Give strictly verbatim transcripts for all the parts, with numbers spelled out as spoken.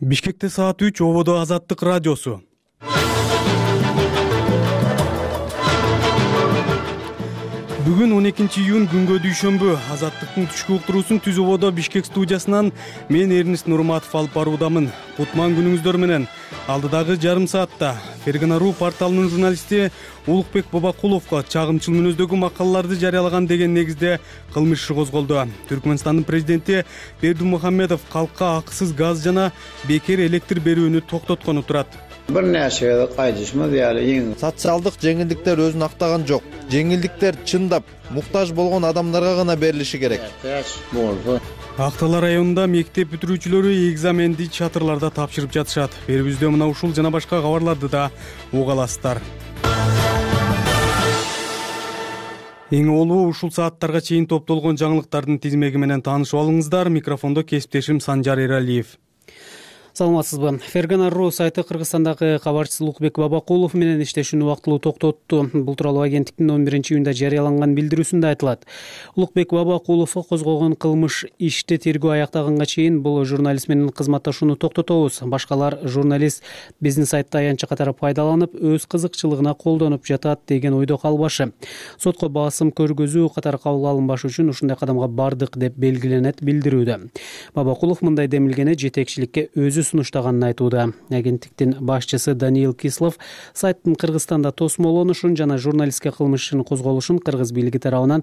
Бишкекте саат үч, ободо Азаттык радиосу. Бүгүн он экинчи июнь күнгө дүйшөмбү. Азаттыктын түшкү уктуруусун Түз ободо Бишкек студиясынан мен Эрнис Нурматов алып баруудамын. Кутман күнүңүздөр менен. Алдыдагы жарым саатта Фергана.ру порталынын журналисти Улукбек Бабакуловго чагымчыл мүнөздөгү макалаларды жарыялаган деген негизде кылмыш иши козголду. Түркмөнстандын президенти Бердимухамедов калкка акысыз газ жана бекер электр берүүнү токтоткону турат. Бир нерсеге кайдышмы дияли. Социалдык жеңилдиктер өзүн актаган жок. Жеңилдиктер чындап муктаж болгон адамдарга гана берилиши керек. Актала районунда мектеп бүтүрүүчүлөрү экзаменди чатырларда тапшырып жатышат. Берибизде мына ушул жана башка кабарларды да уга аласыздар. Эң олуу ушул сааттарга чейин топтолгон жаңылыктардын тизмеги менен таанышып алыңыздар. Микрофондо кесиптешим Санжар Эралиев. Саламатсызбы. Фергана.ру сайты Кыргызстандагы кабарчысы Улукбек Бабакулов менен иштешүүнү убактылуу токтотту. Бул тууралуу агенттиктин он биринчи июнда жарыяланган билдирүүсүндө айтылат. Улукбек Бабакуловго козголгон кылмыш ишти тергөө аяктаганга чейин бул журналист менен кызматташууну токтотобуз. Башкалар журналист биздин сайтты аянтча катары пайдаланып, өз кызыкчылыгына колдонуп жатат деген ойдо калбашы. Сотко басым көргөзүү катары кабыл алынбашы үчүн ушундай кадамга бардык деп белгиленет билдирүүдө. Бабакулов мындай демилгени жетекчиликке өзү сунуштаганын айтууда. Агенттиктин башчысы Даниил Кислов сайттын Кыргызстанда тосмолонушун жана журналистке кылмыш ишин козголушун кыргыз бийлиги тарабынан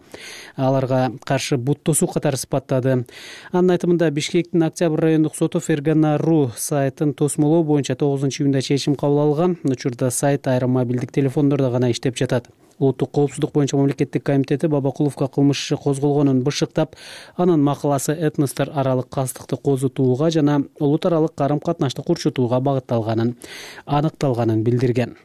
аларга каршы бут тосуу катары сыпаттады. Анын айтымында Бишкектин Октябрь райондук соту Фергана.ру сайтын тосмолоо боюнча тогузунчу июнда чечим кабыл алган. Учурда сайт айрым мобилдик телефондордо гана иштеп жатат. Улуттук коопсуздук боюнча мамлекеттик комитети Бабакуловго кылмыш иши козголгонун бышыктап, анын макаласы этностор аралык кастыкты козутууга жана улут аралык карым-катнашты курчутууга багытталганын аныкталганын билдирген.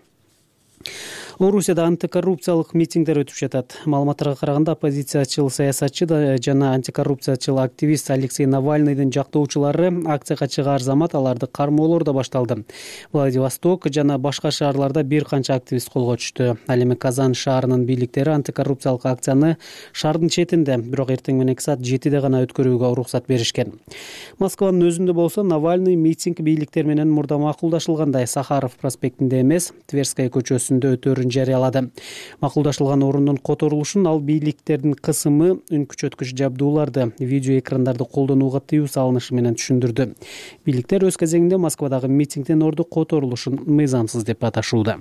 Орусияда антикоррупциялык митингдер өтүп жатат. Маалыматтарга караганда оппозициячыл саясатчы жана антикоррупциячыл активист Алексей Навальныйдын жактоочулары акцияга чыгаар замат аларды кармоолор да башталды. Владивосток жана башка шаарларда бир канча активист колго түштү. Ал эми Казан шаарынын бийликтери антикоррупциялык акцияны шаардын четинде, бирок эртең менен саат жетиде гана өткөрүүгө уруксат беришкен. Москванын өзүндө болсо Навальный митинг бийликтер менен мурда макулдашылгандай Сахаров проспектинде эмес, Тверская көчөсүндө өтөөрүн жарыялады. Макулдашылган орундун которулушун ал бийликтердин кысымы, үн күчөткүч жабдууларды, видео экрандарды колдонууга тыюу салынышы менен түшүндүрдү. Бийликтер өз кезегинде Москвадагы митингдин орду которулушун мыйзамсыз деп аташууда.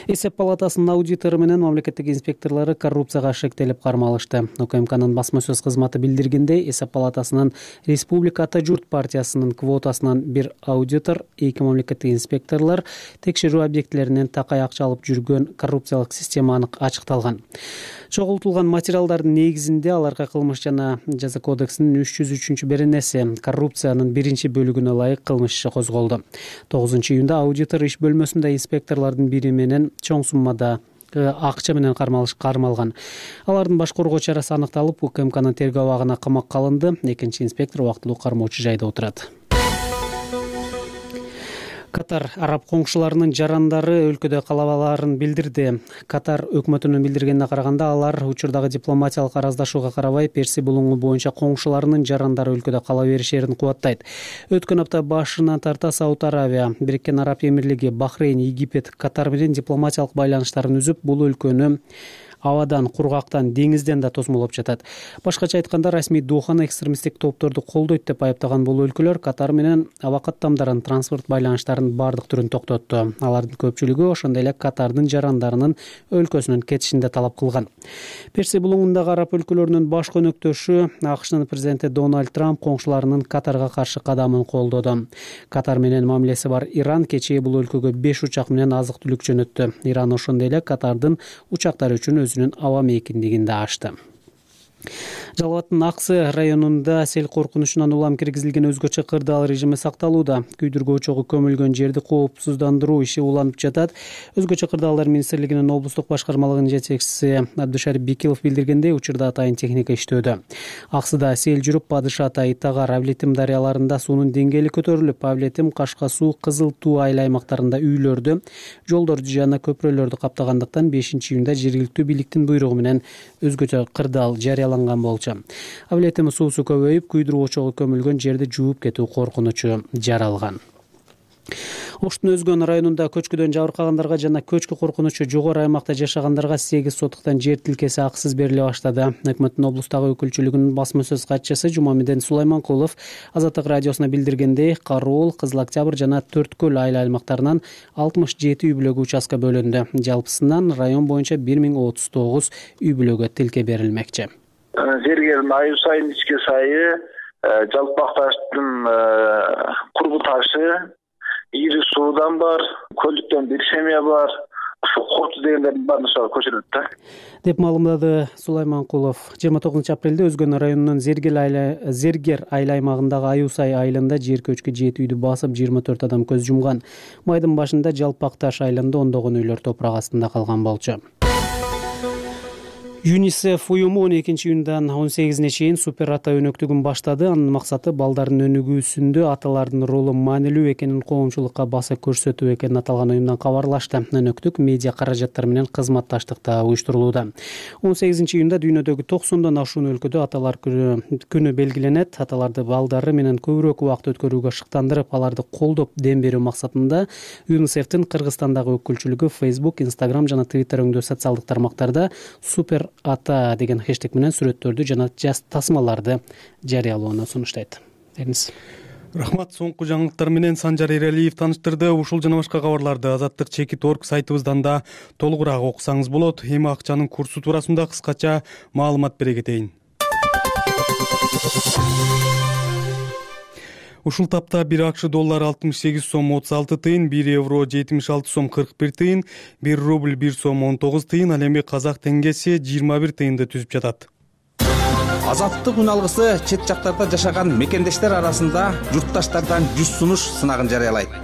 Эсеп палатасынын аудитору менен мамлекеттик инспекторлору коррупцияга шектелип кармалышты. ОКМКнын басма сөз кызматы билдиргендей, Эсеп палатасынын Республика Ата журт партиясынын квотасынан бир аудитор, эки мамлекеттик инспекторлор текшерүү объектилеринен такай акча алып жүргөн коррупциялык система анык ачыкталган. Чогултулган материалдардын негизинде аларга кылмыш жана жаза кодексинин үч жүз үчүнчү беренеси коррупциянын биринчи бөлүгүнө ылайык кылмыш иши козголду. тогузунчу июнда аудитор иш бөлмөсүндө инспекторлордун бири менен чоң суммада акча менен кармалыш кармалган. Алардын баш коргоо чарасы аныкталып, УКМКнын тергөө абагына камакка алынды. Экинчи инспектор убактылуу кармоочу жайда отурат. Катар араб коңшуларынын жарандары өлкөдө калабаларын билдирди. Катар өкмөтүнүн билдиргенине караганда, алар учурдагы дипломатиялык араздашууга карабай Перси булуңу боюнча коңшуларынын жарандары өлкөдө кала беришерин кубаттайт. Өткөн апта башынан тарта Сауд Аравия, Бириккен Араб Эмирлиги, Бахрейн, Египет Катар менен дипломатиялык байланыштарын үзүп, бул өлкөнү абадан, кургактан, деңизден да тосмолоп жатат. Башкача айтканда, расмий Доханы экстремисттик топторду колдойт деп айыптаган бул өлкөлөр Катар менен аба каттамдарын, транспорт байланыштарынын бардык түрүн токтотту. Алардын көпчүлүгү ошондой эле Катардын жарандарынын өлкөсүнөн кетишин да талап кылган. Перси булуңундагы араб өлкөлөрүнүн баш көнөктөшү АКШнын президенти Дональд Трамп коңшуларынын Катарга каршы кадамын колдоду. Катар менен мамилеси бар Иран кечээ бул өлкөгө беш учак менен азык түлүк жөнөттү. Иран ошондой эле Катардын учактары үчүн өзүнүн аба мейкиндигин да ачты. Жалал абаддын Аксы районунда сел коркунучунан улам киргизилген өзгөчө кырдаал режими сакталууда. Күйдүргү очогу көмүлгөн жерди коопсуздандыруу иши уланып жатат. Өзгөчө кырдаалдар министрлигинин облустук башкармалыгынын жетекчиси Абдушарип Бикилов билдиргендей, учурда атайын техника иштөөдө. Аксыда сел жүрүп, Падыш Ата, Итагар, Авлетим дарыяларында суунун деңгээли көтөрүлүп, Авлетим, Кашка суу, Кызыл Туу айыл аймактарында үйлөрдү, жолдорду жана көпүрөлөрдү каптагандыктан бешинчи июнда жергиликтүү бийликтин буйругу менен өзгөчө кырдаал жарыяланды. жарыяланган болчу. Абилетим суусу көбөйүп, күйдүрүү очогу көмүлгөн жерди жууп кетүү коркунучу жаралган. Оштун Өзгөн районунда көчкүдөн жабыркагандарга жана көчкү коркунучу жогору аймакта жашагандарга сегиз сотуктан жер тилкеси акысыз бериле баштады. Өкмөттүн облустагы өкүлчүлүгүнүн басма сөз катчысы Жумамеден Сулайманкулов Азаттык радиосуна билдиргендей, Кароол, Кызыл Октябрь жана Төрткөл айыл аймактарынан алтымыш жети үй бүлөгө участка бөлүндү. Жалпысынан район боюнча бир миң отуз тогуз үй бүлөгө тилке берилмекчи. Зергердин айыл сайын ичке сайы, Жалпак таштын курбу ташы, Ири суудан бар, көлдүктөн бир семья бар, ушу Корту дегендердин баарын ошого көчүрөт да, деп маалымдады Сулайманкулов. жыйырма тогузунчу апрелде Өзгөн районунун Зергер айыл Зергер айыл аймагындагы Аюсай айылында жер көчкү жети үйдү басып, жыйырма төрт адам көз жумган. Майдын башында Жалпак таш айылында ондогон үйлөр топурак астында калган болчу. ЮНИСЕФ уюму он экинчи июндан он сегизине чейин супер ата өнөктүгүн баштады. Анын максаты балдардын өнүгүүсүндө аталардын ролу маанилүү экенин коомчулукка баса көрсөтүү экенин аталган уюмдан кабарлашты. Өнөктүк медиа каражаттар менен кызматташтыкта уюштурулууда. он сегизинчи июнда дүйнөдөгү токсондон ашуун өлкөдө аталар күнү белгиленет. Аталарды балдары менен көбүрөөк убакыт өткөрүүгө шыктандырып, аларды колдоп дем берүү максатында ЮНИСЕФтин Кыргызстандагы өкүлчүлүгү Facebook, Instagram жана Twitter өңдөө социалдык тармактарда супер ата деген хэштег менен сүрөттөрдү жана жас тасмаларды жарыялоону сунуштайт. Дениз. Рахмат. Соңку жаңылыктар менен Санжар Эралиев тааныштырды. Ушул жана башка кабарларды азаттык чекит точка орг сайтыбыздан да толугураак окусаңыз болот. Эми акчанын курсу туурасында кыскача маалымат бере кетейин. Ушул тапта бир акш доллары алтымыш сегиз сом отуз алты тыйын, бир евро жетимиш алты сом кырк бир тыйын, бир рубль бир сом он тогуз тыйын, ал эми казак теңгеси жыйырма бир тыйынды түзүп жатат. Азаттык үн алгысы чет жактарда жашаган мекендештер арасында журтташтардан жүз сунуш сынагын жарыялайт.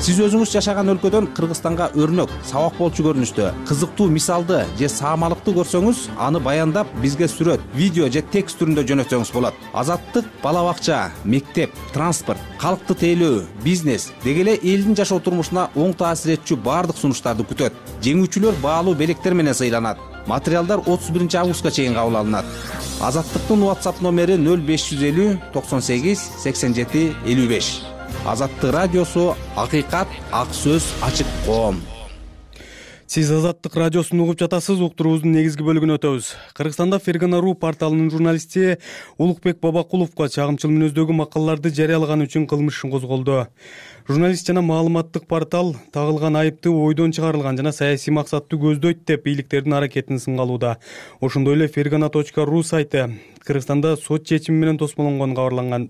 Сиз өзүңүз жашаган өлкөдөн Кыргызстанга өрнөк, сабак болчу көрүнүштө, кызыктуу мисалды же саамалыкты көрсөңүз, аны баяндап бизге сүрөт, видео же текст түрүндө жөнөтсөңүз болот. Азаттык бала бакча, мектеп, транспорт, калкты тейлөө, бизнес деги эле элдин жашоо турмушуна оң таасир этчү баардык сунуштарды күтөт. Жеңүүчүлөр баалуу белектер менен сыйланат. Материалдар отуз биринчи августка чейин кабыл алынат. Азаттыктын WhatsApp номери нөл беш жүз элүү токсон сегиз сексен жети элүү беш. Азаттык радиосу, акыйкат, ак сөз, ачык коом. Сиз Азаттык радиосун угуп жатасыз. Уктуруубуздун негизги бөлүгүнө өтөбүз. Кыргызстанда Фергана.ру порталынын журналисти Улукбек Бабакуловго чагымчыл мүнөздөгү макалаларды жарыялаганы үчүн кылмыш иши козголду. Журналист жана маалыматтык портал тагылган айыпты ойдон чыгарылган жана саясий максатты көздөйт деп бийликтердин аракетин сынга алууда. Ошондой эле Фергана точка ру сайты Кыргызстанда сот чечими менен тосмолонгон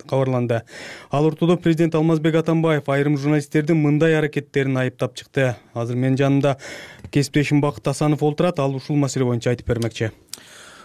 кабарланды. Ал ортодо президент Алмазбек Атамбаев айрым журналисттердин мындай аракеттерин айыптап чыкты. Азыр менин жанымда кесиптешим Бакыт Асанов олтурат. Ал ушул маселе боюнча айтып бермекчи.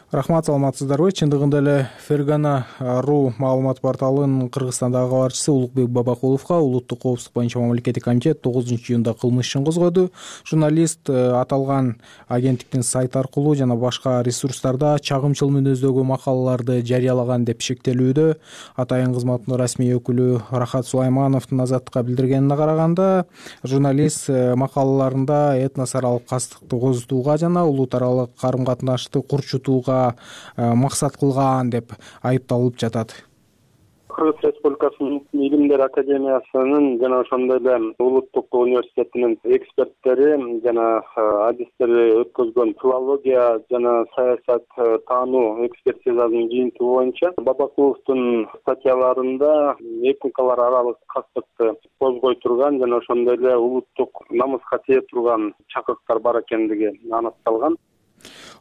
Рахмат, саламатсыздарбы? Чындыгында эле Фергана.ру маалымат порталынын Кыргызстандагы кабарчысы Улукбек Бабакуловго улуттук коопсуздук боюнча мамлекеттик комитет тогузунчу июнда кылмыш ишин козгоду. Журналист аталган агенттиктин сайты аркылуу жана башка ресурстарда чагымчыл мүнөздөгү макалаларды жарыялаган деп шектелүүдө. Атайын кызматтын расмий өкүлү Рахат Сулаймановдун Азаттыкка билдиргенине караганда, журналист макалаларында этнос аралык кастыкты козутууга жана улут аралык карым-катнашты курчутууга максат кылган деп айыпталып жатат. Кыргыз Республикасынын Илимдер академиясынын жана ошондой эле улуттук университетинин эксперттери жана адистери өткөзгөн филология жана саясат таануу экспертизасынын жыйынтыгы боюнча Бабакуловдун статьяларында этникалар аралык кастыкты козгой турган жана ошондой эле улуттук намыска тие турган чакырыктар бар экендиги анықталган.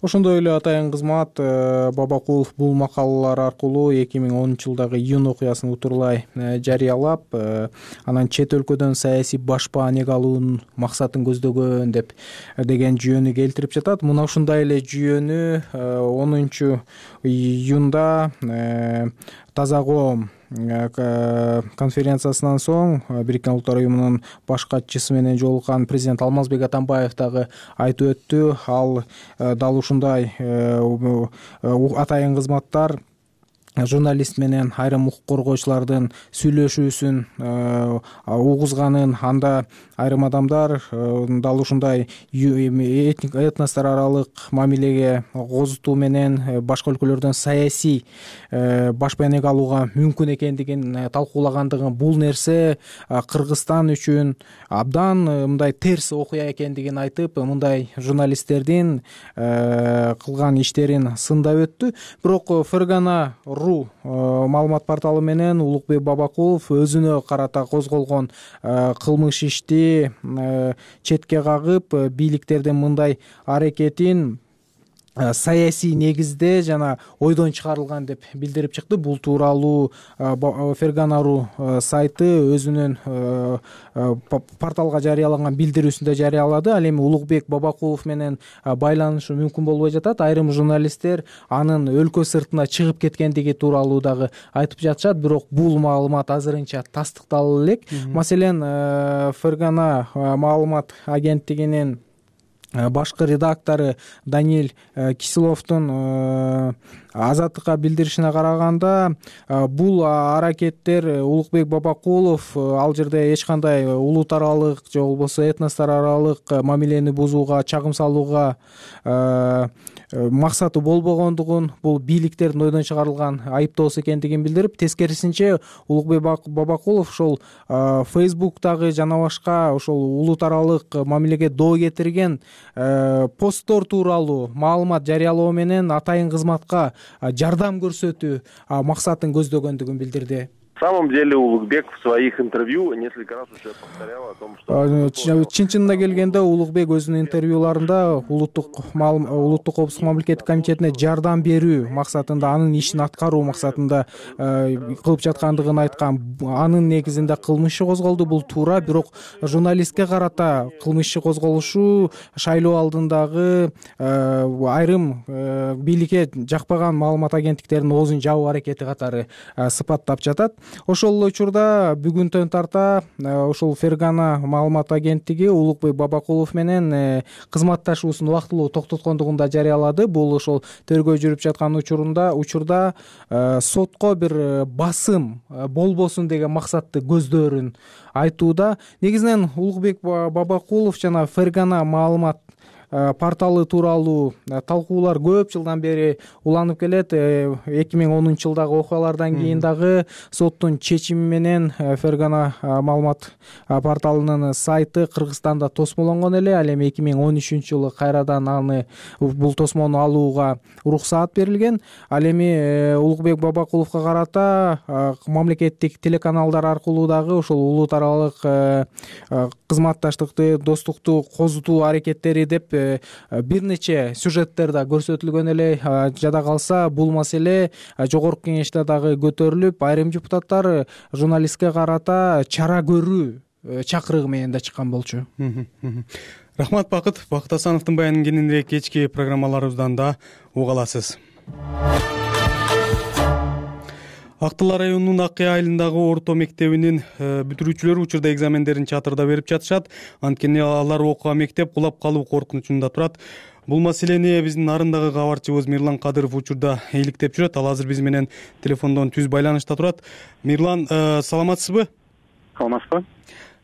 Ошондой эле атайын кызмат Бабакулов бул макалалар аркылуу эки миң онунчу жылдагы июнь окуясын утурлай жарыялап, анан чет өлкөдөн саясий башпаанек алуунун максатын көздөгөн деп деген жүйөнү келтирип жатат. Мына ушундай эле жүйөнү онунчу июнда Таза коом конференциясынан соң Бириккен Улуттар уюмунун баш катчысы менен жолуккан президент Алмазбек Атамбаев дагы айтып өттү. Ал дал ушундай атайын кызматтар журналист менен айрым укук коргоочулардын сүйлөшүүсүн угузганын, анда айрым адамдар дал ушундай этностор аралык мамилеге козутуу менен башка өлкөлөрдөн саясий баш байнек алууга мүмкүн экендигин талкуулагандыгын, бул нерсе Кыргызстан үчүн абдан мындай терс окуя экендигин айтып, мындай журналисттердин кылган иштерин сындап өттү. Бирок Фергана маалымат порталы менен Улукбек Бабакулов өзүнө карата козголгон кылмыш ишти четке кагып, бийликтердин мындай аракетин саясий негизде жана ойдон чыгарылган деп билдирип чыкты. Бул тууралуу Фергана.ру сайты өзүнүн порталга жарыялаган билдирүүсүндө жарыялады. Ал эми Улукбек Бабакулов менен байланышы мүмкүн болбой жатат. Айрым журналисттер анын өлкө сыртына чыгып кеткендиги тууралуу дагы айтып жатышат, бирок бул маалымат азырынча тастыкталып элек. Маселен, Фергана маалымат агенттигинин башкы редактору Даниил Киселовдун Азаттыкка билдиришине караганда, бул аракеттер Улукбек Бабакулов ал жерде эч кандай улут аралык же болбосо этностор аралык мамилени бузууга, чагым салууга максаты болбогондугун, бул бийликтердин ойдон чыгарылган айыптоосу экендигин билдирип, тескерисинче Улукбек Бабакулов ошол Фейсбуктагы жана башка ошол улут аралык мамилеге доо кетирген посттор тууралуу маалымат жарыялоо менен атайын кызматка жардам көрсөтүү максатын көздөгөндүгүн билдирди. В самом деле Улукбек в своих интервью несколько раз уже повторял о том, что чын чынына келгенде Улукбек өзүнүн интервьюларында улуттук улуттук коопсуздук мамлекеттик комитетине жардам берүү максатында, анын ишин аткаруу максатында кылып жаткандыгын айткан. Анын негизинде кылмыш иши козголду, бул туура, бирок журналистке карата кылмыш иши козголушу шайлоо алдындагы айрым бийликке жакпаган маалымат агенттиктеринин оозун жабуу аракети катары сыпаттап жатат. Ошол учурда бүгүнтөн тарта ошол Фергана маалымат агенттиги Улукбек Бабакулов менен кызматташуусун убактылуу токтоткондугун да жарыялады. Бул ошол тергөө жүрүп жаткан учурунда учурда сотко бир басым болбосун деген максатты көздөрүн айтууда. Негизинен Улукбек Бабакулов жана Фергана маалымат порталы тууралуу талкуулар көп жылдан бери уланып келет. эки миң онунчу жылдагы окуялардан кийин дагы соттун чечими менен Фергана маалымат порталынын сайты Кыргызстанда тосмолонгон эле. Ал эми эки миң он үчүнчү жылы кайрадан аны бул тосмону алууга уруксаат берилген. Ал эми Улукбек Бабакуловго карата мамлекеттик телеканалдар аркылуу дагы ошол улут аралык кызматташтыкты, достукту козутуу аракеттери деп бир нече сюжеттер да көрсөтүлгөн эле. Жада калса бул маселе жогорку кеңеште дагы көтөрүлүп, айрым депутаттар журналистке карата чара көрүү чакырыгы менен да чыккан болчу. Рахмат Бакыт. Бакыт Асановдун баянын кийинирээк кечки программаларыбыздан да уга аласыз. Актылар районунун Аккай айылындагы орто мектебинин бүтүрүүчүлөрү учурда экзамендерин чатырда берип жатышат. Анткени алар окууга мектеп кулап калуу коркунучунда турат. Бул маселени биздин нарындагы кабарчыбыз Мирлан Кадыров учурда иликтеп жүрөт. Ал азыр биз менен телефондон түз байланышта турат. Мирлан, саламатсызбы? Саламатсызбы?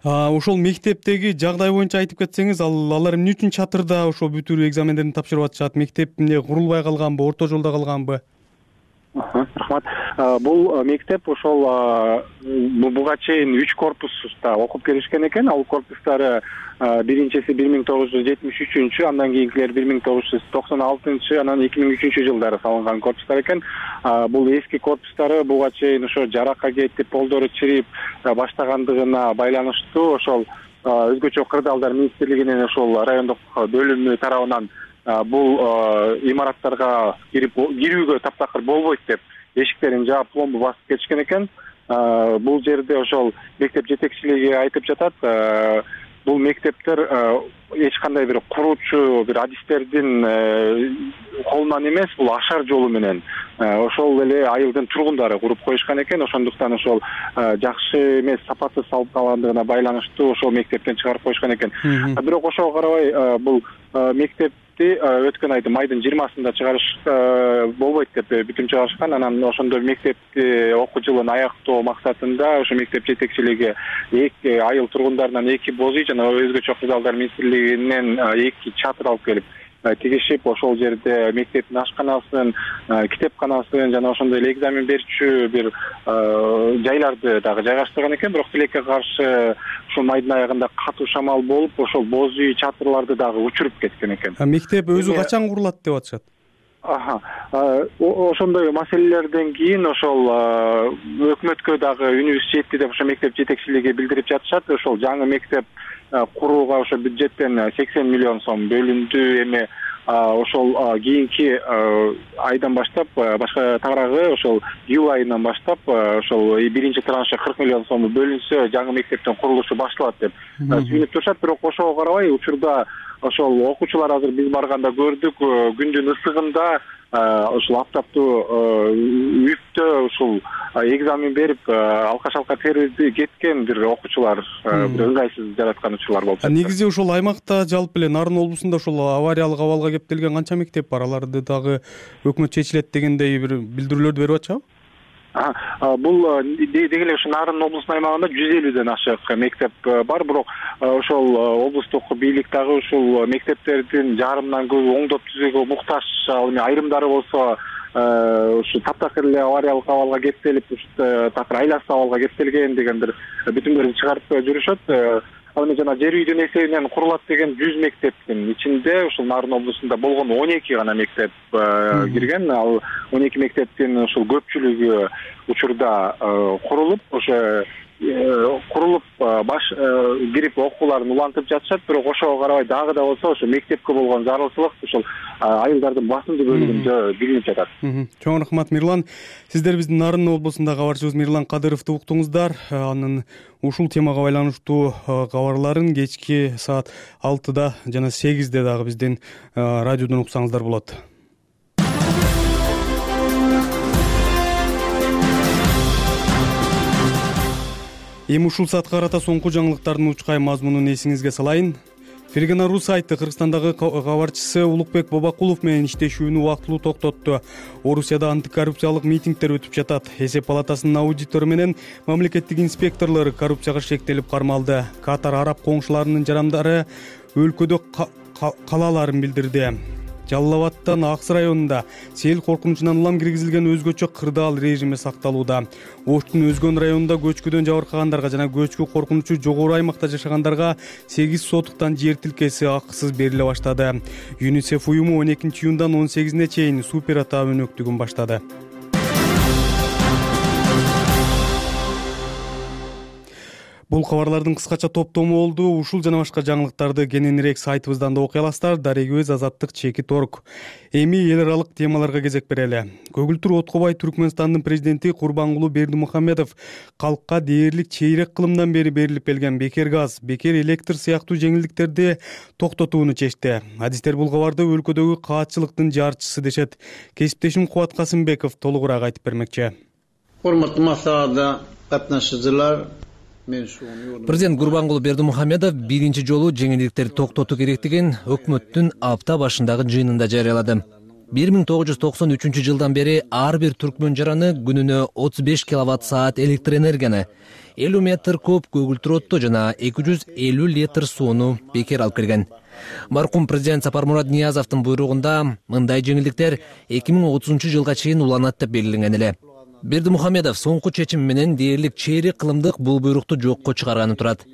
Ошол мектептеги жагдай боюнча айтып кетсеңиз, ал алар эмне үчүн чатырда ошол бүтүрүү экзамендерин тапшырып атышат? Мектеп эмне курулбай калганбы, орто жолдо калганбы? Рахмат. Бул мектеп ошол буга чейин үч корпуста окуп келишкен экен. Ал корпустары биринчиси бир миң тогуз жүз жетимиш үчүнчү, андан кийинкилер бир миң тогуз жүз токсон алтынчы, анан эки миң үчүнчү жылдары салынган корпустар экен. Бул эски корпустары буга чейин ошо жаракка кетип, полдору чирип баштагандыгына байланыштуу ошол өзгөчө кырдаалдар министрлигинин ошол райондук бөлүмү тарабынан бул имараттарга кирип кирүүгө таптакыр болбойт деп эшиктерин жаап, пломбу басып кетишкен экен. Бул жерде ошол мектеп жетекчилиги айтып жатат, бул мектептер эч кандай бир куруучу бир адистердин колунан эмес, бул ашар жолу менен ошол эле айылдын тургундары куруп коюшкан экен. Ошондуктан ошол жакшы эмес, сапатсыз салып калгандыгына байланыштуу ошол мектептен чыгарып коюшкан экен. Бирок ошого карабай бул мектеп мектепти өткөн айдын майдын жыйырмасында чыгарыш болбойт деп бүтүм чыгарышкан. Анан ошондо мектепти окуу жылын аяктоо максатында ошо мектеп жетекчилиги эки айыл тургундарынан эки боз үй жана өзгөчө кырдаалдар министрлигинен эки чатыр алып келип тигишип, ошол жерде мектептин ашканасын, китепканасын жана ошондой эле экзамен берүүчү бир жайларды дагы жайгаштырган экен. Бирок тилекке каршы ушул майдын аягында катуу шамал болуп, ошол боз үй чатырларды дагы учуруп кеткен экен. Мектеп өзү качан курулат деп атышат? Аха. Ошондой маселелерден кийин ошол өкмөткө дагы үнүбүз жетти деп ошо мектеп жетекчилиги билдирип жатышат. Ошол жаңы мектеп курууга ошо бюджеттен сексен миллион сом бөлүндү. Эми ошол кийинки айдан баштап, башка тагыраагы ошол июль айынан баштап ошол биринчи траншы кырк миллион сом бөлүнсө жаңы мектептин курулушу башталат деп сүйүнүп турушат. Бирок ошого карабай учурда ошол окуучулар азыр биз барганда көрдүк, күндүн ысыгында ушул аптаптуу үктө ушул экзамен берип алка шалка терип кеткен бир окуучулар, бир ыңгайсыз жараткан учурлар болуп жатат. Негизи ушул аймакта жалпы эле Нарын облусунда ушул авариялык абалга кептелген канча мектеп бар? Аларды дагы өкмөт чечилет дегендей бир билдирүүлөрдү берип атышабы? Бул деги эле ушу Нарын облусунун аймагында жүз элүүдөн ашык мектеп бар. Бирок ошол облустук бийлик дагы ушул мектептердин жарымынан көбү оңдоп түзүүгө муктаж. Ал эми айрымдары болсо ушу таптакыр эле авариялык абалга кептелип, ушу такыр айласыз абалга кептелген деген бир бүтүмдөрдү чыгарып жүрүшөт. Ал эми жана жер үйдүн эсебинен курулат деген жүз мектептин ичинде ушул Нарын облусунда болгон он эки гана мектеп кирген. Ал он эки мектептин ушул көпчүлүгү учурда курулуп, ошо курулуп баш кирип окууларын улантып жатышат. Бирок ошого карабай дагы да болсо ошо мектепке болгон зарылчылык ушул айылдардын басымдуу бөлүгүндө билинип жатат. Чоң рахмат, Мирлан. Сиздер биздин Нарын облусунда кабарчыбыз Мирлан Кадыровду уктуңуздар. Анын ушул темага байланыштуу кабарларын кечки саат алтыда жана сегизде дагы биздин радиодон уксаңыздар болот. Эми ушул саатка карата соңку жаңылыктардын учкай мазмунун эсиңизге салайын. Фергана.ру сайты Кыргызстандагы кабарчысы Улукбек Бабакулов менен иштешүүнү убактылуу токтотту. Орусияда антикоррупциялык митингдер өтүп жатат. Эсеп палатасынын аудитору менен мамлекеттик инспекторлор коррупцияга шектелип кармалды. Катар араб коңшуларынын жарандары өлкөдө калааларын билдирди. Жалал Абадтан Аксы районунда сел коркунучунан улам киргизилген өзгөчө кырдаал режими сакталууда. Оштун Өзгөн районунда көчкүдөн жабыркагандарга жана көчкү коркунучу жогору аймакта жашагандарга сегиз сотуктан жер тилкеси акысыз бериле баштады. ЮНИСЕФ уюму он экинчи июндан он сегизине чейин супер ата өнөктүгүн баштады. Бул кабарлардын кыскача топтому болду. Ушул жана башка жаңылыктарды кененирээк сайтыбыздан да окуй аласыздар. Дарегөз Азаттык чеки торг. Эми эл аралык темаларга кезек берели. Көгүлтүр Откобай Түркмөнстандын президенти Курбангулу Бердимухамедов калкка дээрлик чейрек кылымдан бери берилип келген бекер газ, бекер электр сыяктуу жеңилдиктерди токтотууну чечти. Адистер бул кабарды өлкөдөгү каатчылыктын жарчысы дешет. Кесиптешим Кубат Касымбеков толугураак айтып бермекчи. Урматтуу маслихатта катнашчылар, Президент Курбангулу Бердимухамедов биринчи жолу жеңилдиктерди токтотуу керектигин өкмөттүн апта башындагы жыйынында жарыялады. бир миң тогуз жүз токсон үчүнчү жылдан бери ар бир түркмөн жараны күнүнө отуз беш киловатт саат электр энергияны, элүү метр куб көгүлтүр отту жана эки жүз элүү литр сууну бекер алып келген. Маркум президент Сапармурат Ниязовдун буйругунда мындай жеңилдиктер эки миң отузунчу жылга чейин уланат деп белгиленген эле. Бердимухамедов соңку чечим менен дээрлик чейрек кылымдык бул буйрукту жокко чыгарганы турат.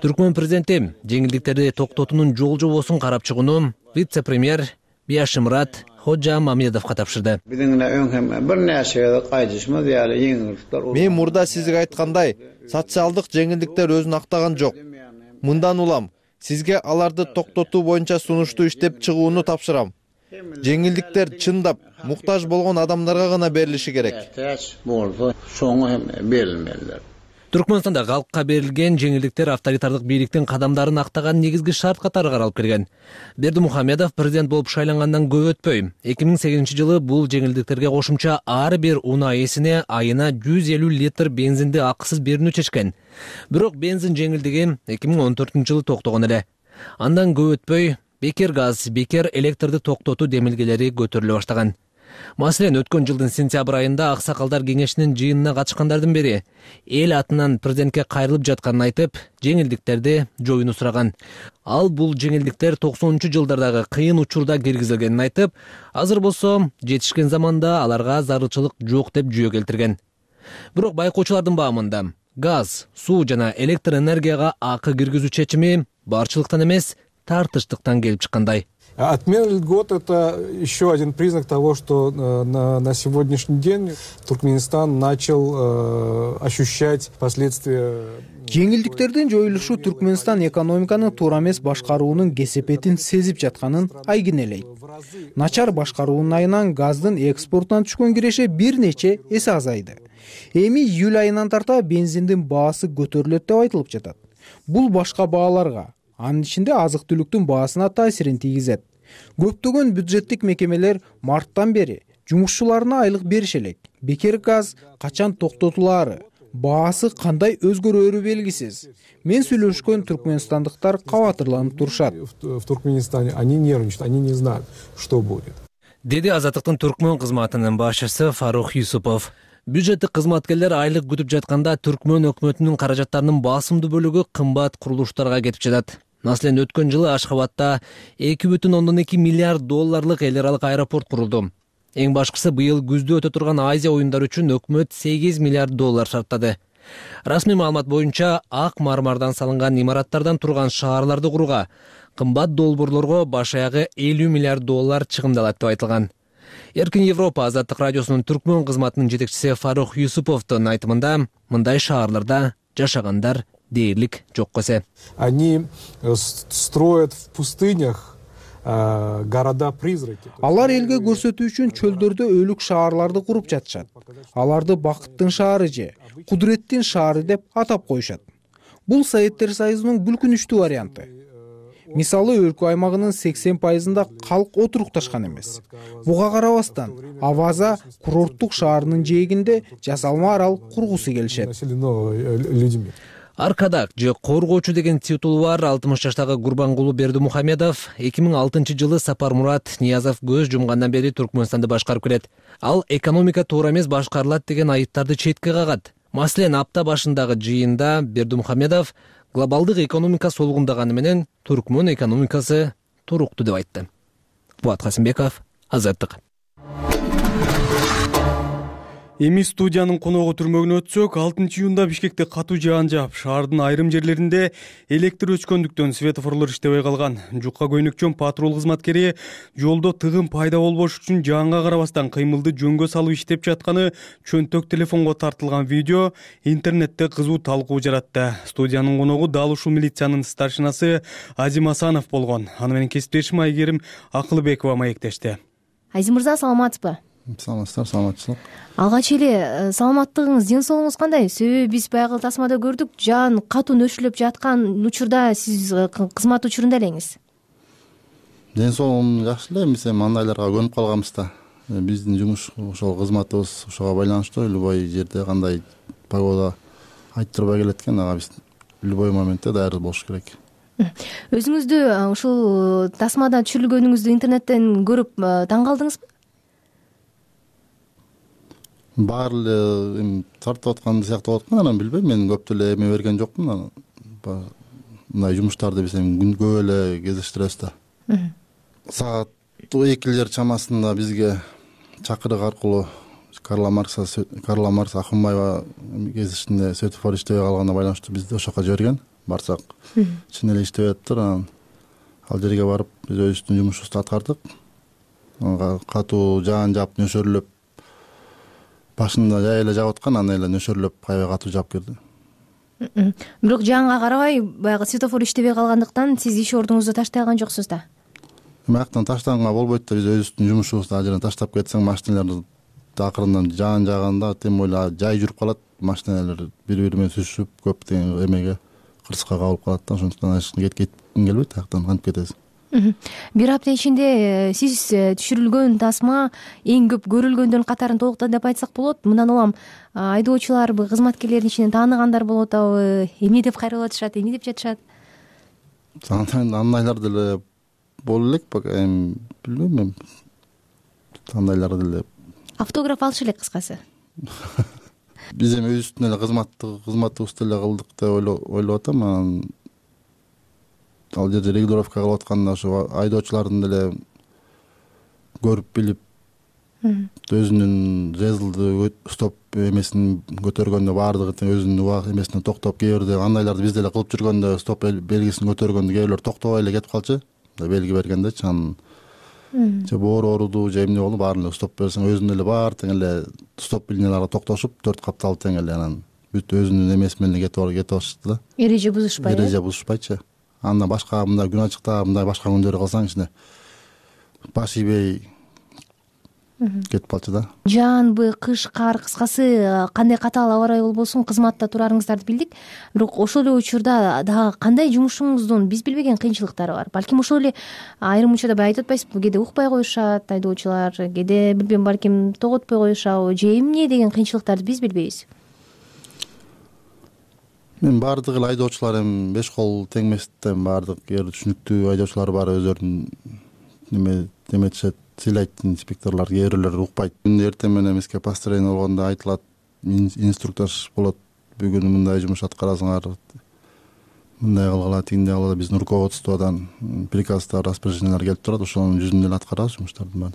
Түркмөн президенти жеңилдиктерди токтотуунун жол жобосун карап чыгууну вице-премьер Бияшимрат Ходжа Мамедовго тапшырды. Мен мурда сизге айткандай, социалдык жеңилдиктер өзүн актаган жок. Мындан улам сизге аларды токтотуу боюнча сунушту иштеп чыгууну тапшырам. Жеңилдиктер чындап муктаж болгон адамдарга гана берилиши керек. Түркмөнстанда калкка берилген жеңилдиктер авторитардык бийликтин кадамдарын актаган негизги шарт катары каралып келген. Бердимухамедов президент болуп шайлангандан көп өтпөй, эки миң сегизинчи жылы бул жеңилдиктерге кошумча ар бир унаа ээсине айына жүз элүү литр бензинди акысыз берүүнү чечкен. Бирок бензин жеңилдиги эки миң он төртүнчү жылы токтогон эле. Андан көп өтпөй бекер газ, бекер электрди токтотуу демилгелери көтөрүлө баштаган. Маселен, өткөн жылдын сентябрь айында Аксакалдар кеңешинин жыйынына катышкандардын бири эл атынан президентке кайрылып жатканын айтып, жеңилдиктерди жоюуну сураган. Ал бул жеңилдиктер токсонунчу жылдардагы кыйын учурда киргизилгенин айтып, азыр болсо жетишкен заманда аларга зарылчылык жок деп жүйө келтирген. Бирок байкоочулардын баамында газ, суу жана электр энергияга акы киргизүү чечими барчылыктан эмес, тартыштыктан келип чыккандай. Отмена льгот – это еще один признак того, что на, на сегодняшний день Туркменистан начал э, ощущать последствия. Жеңилдиктердин жоюлушу Түркменстан экономиканы туура эмес башкаруунун кесепетин сезип жатканын айгинелейт. Начар башкаруунун айынан газдын экспортунан түшкөн киреше бир нече эсе азайды. Эми июль айынан тарта бензиндин баасы көтөрүлөт деп айтылып жатат. Бул башка бааларга, анын ичинде азык-түлүктүн баасына таасирин тийгизет. Көптөгөн бюджеттик мекемелер марттан бери жумушчуларына айлык берише элек. Бекер газ качан токтотулаары, баасы кандай өзгөрөөрү белгисиз. Мен сүйлөшкөн түркмөнстандыктар кабатырланып турушат. В Туркменистане они нервничают, они не знают, что будет. Деди Азаттыктын түркмөн кызматынын башчысы Фарух Юсупов. Бюджеттик кызматкерлер айлык күтүп жатканда түркмөн өкмөтүнүн каражаттарынын басымдуу бөлүгү кымбат курулуштарга кетип жатат. Маселен, өткөн жылы Ашхабадта эки бүтүн ондон эки миллиард долларлык эл аралык аэропорт курулду. Эң башкысы быйыл күздө өтө турган Азия оюндары үчүн өкмөт сегиз миллиард доллар шарттады. Расмий маалымат боюнча ак мармардан салынган имараттардан турган шаарларды курууга кымбат долбоорлорго баш аягы элүү миллиард доллар чыгымдалат деп айтылган. Эркин Европа Азаттык радиосунун түркмөн кызматынын жетекчиси Фарух Юсуповдун айтымында, мындай шаарларда жашагандар дээрлик жок эсе. Они строят в пустынях города-призраки. Алар элге көрсөтүү үчүн чөлдөрдө өлүк шаарларды куруп жатышат. Аларды бакыттын шаары же кудуреттин шаары деп атап коюшат. Бул Советтер Союзунун бүлкүнүчтүү варианты. Мисалы, өлкө аймагынын сексен пайызында калк отурукташкан эмес. Буга карабастан, Аваза курорттук шаарынын жээгинде жасалма арал кургусу келишет. Аркадак же коргоочу деген титулу бар алтымыш жаштагы Гурбангулу Бердимухамедов эки миң алтынчы жылы Сапармурат Ниязов көз жумгандан бери Түркмөнстанды башкарып келет. Ал экономика туура эмес башкарылат деген айыптарды четке кагат. Маселен, апта башындагы жыйында Бердимухамедов глобалдык экономика солгундаганы менен түркмөн экономикасы туруктуу деп айтты. Буат Касымбеков, Азаттык. Эми студиянын коногу түрмөгүнө өтсөк, алтынчы июнда Бишкекте катуу жаан жаап, шаардын айрым жерлеринде электр өчкөндүктөн светофорлор иштебей калган. Жукка көйнөкчөн патрул кызматкери жолдо тыгын пайда болбош үчүн жаанга карабастан кыймылды жөнгө салып иштеп жатканы чөнтөк телефонго тартылган видео интернетте кызуу талкуу жаратты. Студиянын коногу дал ушул милициянын старшинасы Азим Асанов болгон. Аны менен кесиптешим Айгерим Акылбекова маектешти. Азим мырза, саламатсызбы? Саламатсыздар, саламатчылык. Алгач эле саламаттыгыңыз, ден соолугуңуз кандай? Себеби биз баягы тасмада көрдүк, жаан катуу нөшүрүлүп жаткан учурда сиз кызмат учурунда элеңиз. Ден соолугум жакшы эле, биз эми андайларга көнүп калганбыз да. Биздин жумуш ошол кызматыбыз ошого байланыштуу, любой жерде кандай погода айтып турбай келет экен, ага биз любой моментте даярдык болуш керек. Өзүңүздү ушул тасмада түшүрүлгөнүңүздү интернеттен көрүп таң калдыңызбы? Баары эле эми тартып аткан сыяктуу болот экен, анан билбейм, мен көп деле эме берген жокмун. Мындай жумуштарды биз эми күнгө эле кезиштиребиз да. Саат экилер чамасында бизге чакырык аркылуу Карла Маркса Карла Маркс Ахунбаева кезишинде светофор иштебей калганына байланыштуу бизди ошоко жиберген. Барсак, чын эле иштеп атыптыр. Анан ал жерге барып биз өзүбүздүн жумушубузду аткардык. Катуу жаан жаап нөшөрлөп, башында жай эле жаап аткан, анан эле нөшөрлөп аябай катуу жаап келди. Бирок жаанга карабай, баягы светофор иштебей калгандыктан сиз иш ордуңузду таштай алган жоксуз да. Маяктан таштаганга болбойт да, биз өзүбүздүн жумушубузду ал жерден таштап кетсең, машиналар акырындан жаан жааганда тем более жай жүрүп калат, машиналар бири-бири менен сүзүшүп, көп деген эмеге кырсыкка кабылып калат да, ошондуктан кетким келбейт, аяктан кантип кетесиз. Бир апта ичинде сиз түшүрүлгөн тасма эң көп көрүлгөндөрдүн катарын толуктады деп айтсак болот. Мындан улам айдоочуларбы, кызматкерлердин ичинен тааныгандар болуп атабы, эмне деп кайрылып атышат, эмне деп жатышат? Андайлар деле боло элек эми билбейм эми кандайлар деле автограф алышы элек кыскасы. Биз эми өзүбүздүн эле кызматтык кызматыбызды эле кылдык деп ойлоп атам. Анан ал жерде регулировка кылып атканда ошо айдоочулардын деле көрүп билип өзүнүн жезлды стоп эмесин көтөргөндө баардыгы өзүнүн убак эмесине токтоп, кээ бирде андайларды биз деле кылып жүргөндө стоп белгисин көтөргөндө кээ бирлер токтобой эле кетип калчу. Белги бергендечи анан же боору ооруду же эмне болду баарын эле стоп берсең өзүнүн эле баары тең эле стоп линияларга токтошуп төрт капталып тең эле анан бүт өзүнүн эмеси менен кетип кетип атышты да. Эреже бузушпай. Эреже бузушпайчы. Андан башка мындай күн ачыкта мындай башка күндөрү кылсаң ичине баш ийбей кетип калчу да. Жаанбы, кыш, кар, кыскасы кандай катаал аба ырайы болбосун кызматта турарыңыздарды билдик. Бирок ошол эле учурда дагы кандай жумушуңуздун биз билбеген кыйынчылыктары бар. Балким ошол эле айрым учурда баягы айтып атпайсызбы, кээде укпай коюшат айдоочулар, кээде билбейм балким тоготпой коюшабы же эмне деген кыйынчылыктарды биз билбейбиз. Мен баардык эле айдоочулар эми беш кол тең эмес да, баардык эр түшүнүктүү айдоочулар бар, өздөрүн неме деметишет, сыйлайт инспекторлор, кээ бирлер укпайт. Күндө эртең менен эмеске построение болгондо айтылат, инструктаж болот, бүгүн мындай жумуш аткарасыңар, мындай кылгыла, тигиндей кылгыла, биздин руководстводон приказдар, распоряжениялар келип турат, ошонун жүзүндө эле аткарабыз жумуштардын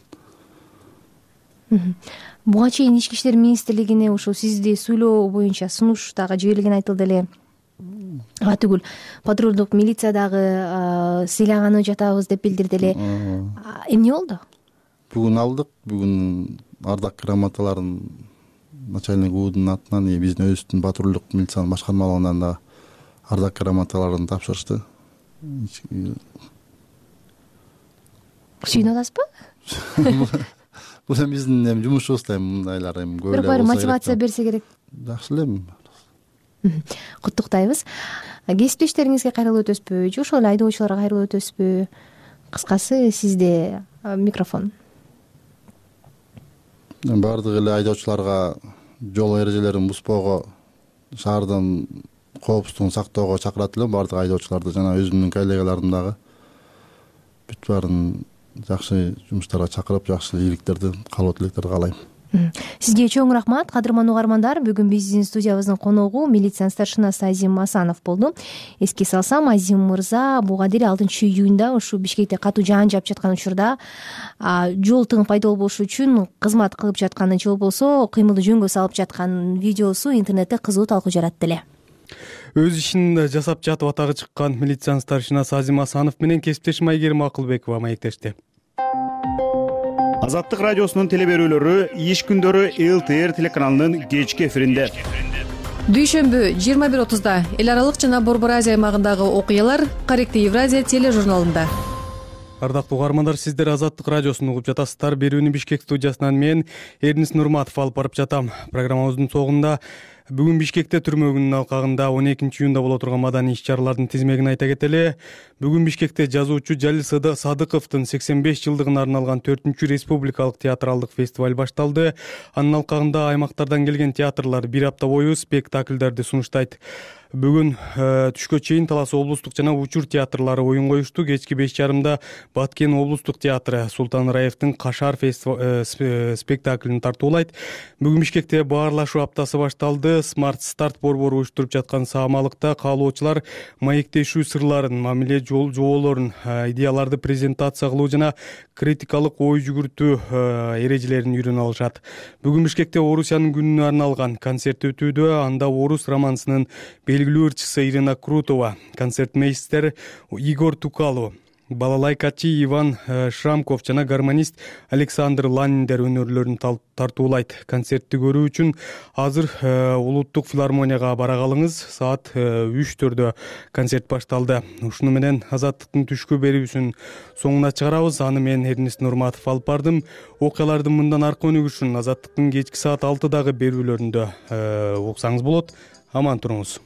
баарын. Буга чейин Ички иштер министрлигине ушул сизди сүйлөө боюнча сунуш дагы жиберилгени айтылды эле. А түгүл патрулдук милиция дагы сыйлаганы жатабыз деп билдирди эле. Эмне болду? Бүгүн алдык, бүгүн ардак грамоталарын начальник УУдун атынан биздин өзүбүздүн патрулдук милициянын башкармалыгынан да ардак грамоталарын тапшырышты. Сүйүнүп атасызбы? Бул эми биздин эми жумушубуз да, эми мындайлар эми көп эле болсо керек. Бир мотивация берсе керек. Жакшы эле эми. Куттуктайбыз. Кесиптештериңизге кайрылып өтөсүзбү же ошол эле айдоочуларга кайрылып өтөсүзбү? Кыскасы сизде микрофон. Баардык эле айдоочуларга жол эрежелерин бузбоого, шаардын коопсуздугун сактоого чакырат элем баардык айдоочуларды, жана өзүмдүн коллегаларым дагы бүт баарын жакшы жумуштарга чакырып, жакшы ийгиликтерди, каалоо тилектерди каалайм. Сизге чоң рахмат, кадырман угармандар. Бүгүн биздин студиябыздын коногу милициянын старшинасы Азим Асанов болду. Эске салсам, Азим мырза буга дейин алтынчы июнда ушу Бишкекте катуу жаан жаап жаткан учурда жол тыгын пайда болбошу үчүн кызмат кылып жатканы же болбосо кыймылды жөнгө салып жаткан видеосу интернетте кызуу талкуу жаратты эле. Өз ишин жасап жатып атагы чыккан милициянын старшинасы Азим Асанов менен кесиптешим Айгерим Акылбекова маектешти. Азаттык радиосунун телеберүүлөрү иш күндөрү эл тэ эр телеканалынын кечки эфиринде. Дүйшөмбү жыйырма бир отузда эл аралык жана Борбор Азия аймагындагы окуялар Корректив Евразия тележурналында. Ардактуу угармандар, сиздер Азаттык радиосун угуп жатасыздар. Берүүнү Бишкек студиясынан мен Эрнис Нурматов алып барып жатам. Программабыздын соңунда бүгүн Бишкекте түрмө күнүнүн алкагында он экинчи июнда боло турган маданий иш-чаралардын тизмегин айта кетели. Бүгүн Бишкекте жазуучу Жалил Садыковдун сексен беш жылдыгына арналган төртүнчү республикалык театралдык фестиваль башталды. Анын алкагында аймактардан келген театрлар бир апта бою спектакльдерди сунуштайт. Бүгүн түшкө чейин Талас облустук жана Учур театрлары оюн коюшту. Кечки беш жарымда Баткен облустук театры Султан Раевдин Кашар спектаклин тартуулайт. Бүгүн Бишкекте баарлашуу аптасы башталды. Смарт старт борбору уюштуруп жаткан саамалыкта каалоочулар маектешүү сырларын, мамиле жоолорун, идеяларды презентация кылуу жана критикалык ой жүгүртүү эрежелерин үйрөнө алышат. Бүгүн Бишкекте Орусиянын күнүнө арналган концерт өтүүдө. Анда орус романсынын белгилүү ырчысы Ирина Крутова, концертмейстер Игорь Тукалу, балалайкачы Иван Шрамков жана гармонист Александр Ланиндер өнөрлөрүн тартуулайт. Концертти көрүү үчүн азыр улуттук филармонияга бара калыңыз. Саат үчтөрдө концерт башталды. Ушуну менен Азаттыктын түшкү берүүсүн соңуна чыгарабыз. Аны мен Эрнис Нурматов алып бардым. Окуялардын мындан аркы өнүгүшүн Азаттыктын кечки саат алтыдагы берүүлөрүндө уксаңыз болот. Аман туруңуз.